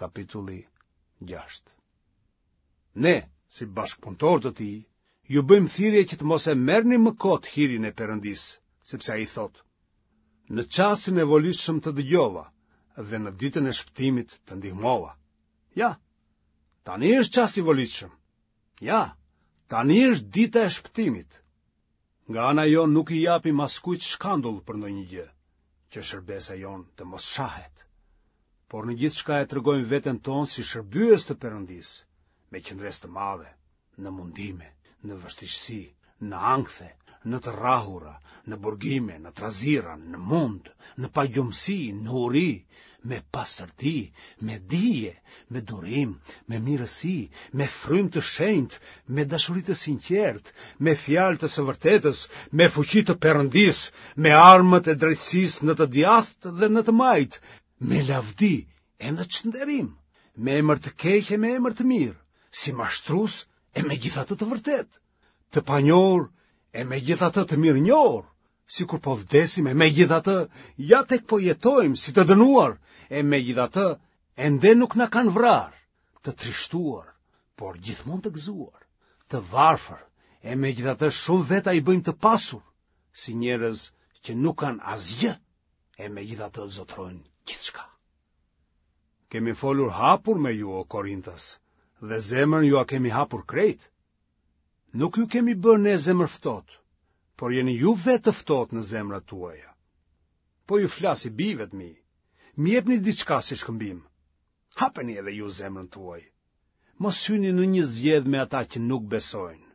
Kapitulli 6. Ne, si bashkëpunëtorë të tij, ju bëjmë thirrje që të mos e merrni më kot hirin e Perëndisë, sepse ai thotë: Në çastin e volitshëm të dëgjova dhe në ditën e shpëtimit të ndihmova. Ja, tani është çasti i volitshëm. Ja, tani është dita e shpëtimit. Nga ana jonë nuk i japim askujt shkandull për ndonjë gjë, që shërbesa jonë të mos shahet. Por në gjithçka e tregojmë veten tonë si shërbyes të Perëndisë, me qëndresë të madhe, në mundime, në vështirësi, në ankthe, në të rrahura, në burgime, në trazira, në mund, në pagjumësi, në uri, me pastërti, me dije, me durim, me mirësi, me frymë të shenjtë, me dashuri të sinqertë, me fjalë të së vërtetës, me fuqi të Perëndisë, me armët e drejtësisë në të djathtë dhe në të majtë, me lavdi e në çnderim, me emër të keq e me emër të mirë, si mashtrues e megjithatë të vërtetë, të panjohur e megjithatë të mirënjohur, sikur po vdesim e megjithatë ja tek po jetojmë si të dënuar e megjithatë ende nuk na kanë vrarë, të trishtuar, por gjithmonë të gëzuar, të varfër e megjithatë shumë veta i bëjmë të pasur, si njerëz që nuk kanë asgjë e megjithatë zotërojnë gjithçka. Kemi folur hapur me ju o Korintas dhe zemrën jua kemi hapur krejt. Nuk ju kemi bërë ne zemërftohtë, por jeni ju vetë të ftohtë në zemrat tuaja. Po ju flas si bijve të mi. Më jepni diçka si shkëmbim. Hapeni edhe ju zemrën tuaj. Mos hyni në një zgjedhë me ata që nuk besojnë.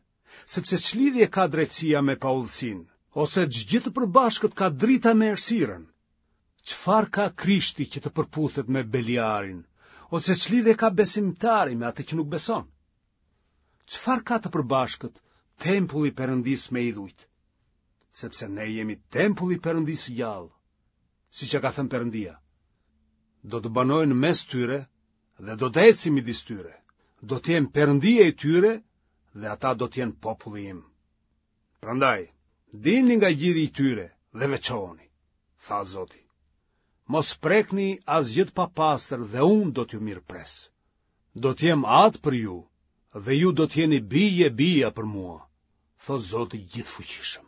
Sepse ç'lidhje ka drejtësia me paudhësinë, ose ç'gjë të përbashkët ka drita me errësirën? Çfarë ka Krishti që të përputhet me Beliarin, ose ç'lidhje ka besimtari me atë që nuk beson? Çfarë ka të përbashkët tempulli i Perëndisë me idhujt? Sepse ne jemi tempulli i Perëndisë së gjallë, siç e ka thënë Perëndia. Do të banoj në mes tyre dhe do të eci midis tyre. Do të jem Perëndia i tyre dhe ata do të jenë populli im. Prandaj, dilni nga gjiri i tyre dhe veçohuni, tha Zoti. Mos prekni asgjë të papastër dhe unë do t'ju mirëpres. Do të jem atë për ju dhe ju do të jeni bij e bija për mua, thotë Zoti i Gjithëfuqishëm.